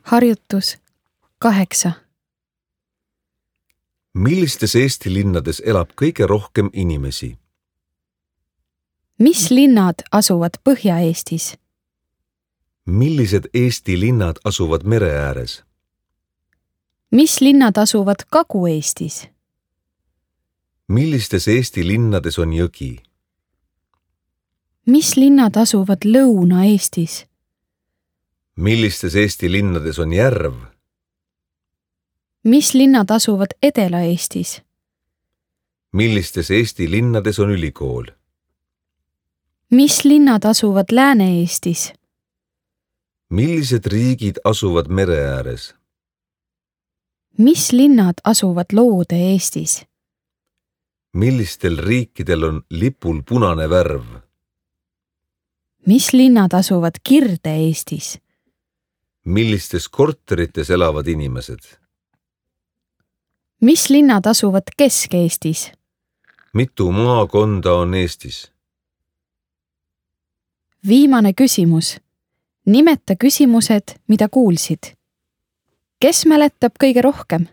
Harjutus 8. Millistes Eesti linnades elab kõige rohkem inimesi? Mis linnad asuvad Põhja-Eestis? Millised Eesti linnad asuvad mere ääres? Mis linnad asuvad Kagu-Eestis? Millistes Eesti linnades on jõgi? Mis linnad asuvad Lõuna-Eestis? Millistes Eesti linnades on järv? Mis linnad asuvad Edela-Eestis? Millistes Eesti linnades on ülikool? Mis linnad asuvad Lääne-Eestis? Millised riigid asuvad mere ääres? Mis linnad asuvad Loode-Eestis? Millistel riikidel on lipul punane värv? Mis linnad asuvad Kirde-Eestis? Millistes korterites elavad inimesed? Mis linnad asuvad Kesk-Eestis? Mitu maakonda on Eestis? Viimane küsimus. Nimeta küsimused, mida kuulsid. Kes mäletab kõige rohkem?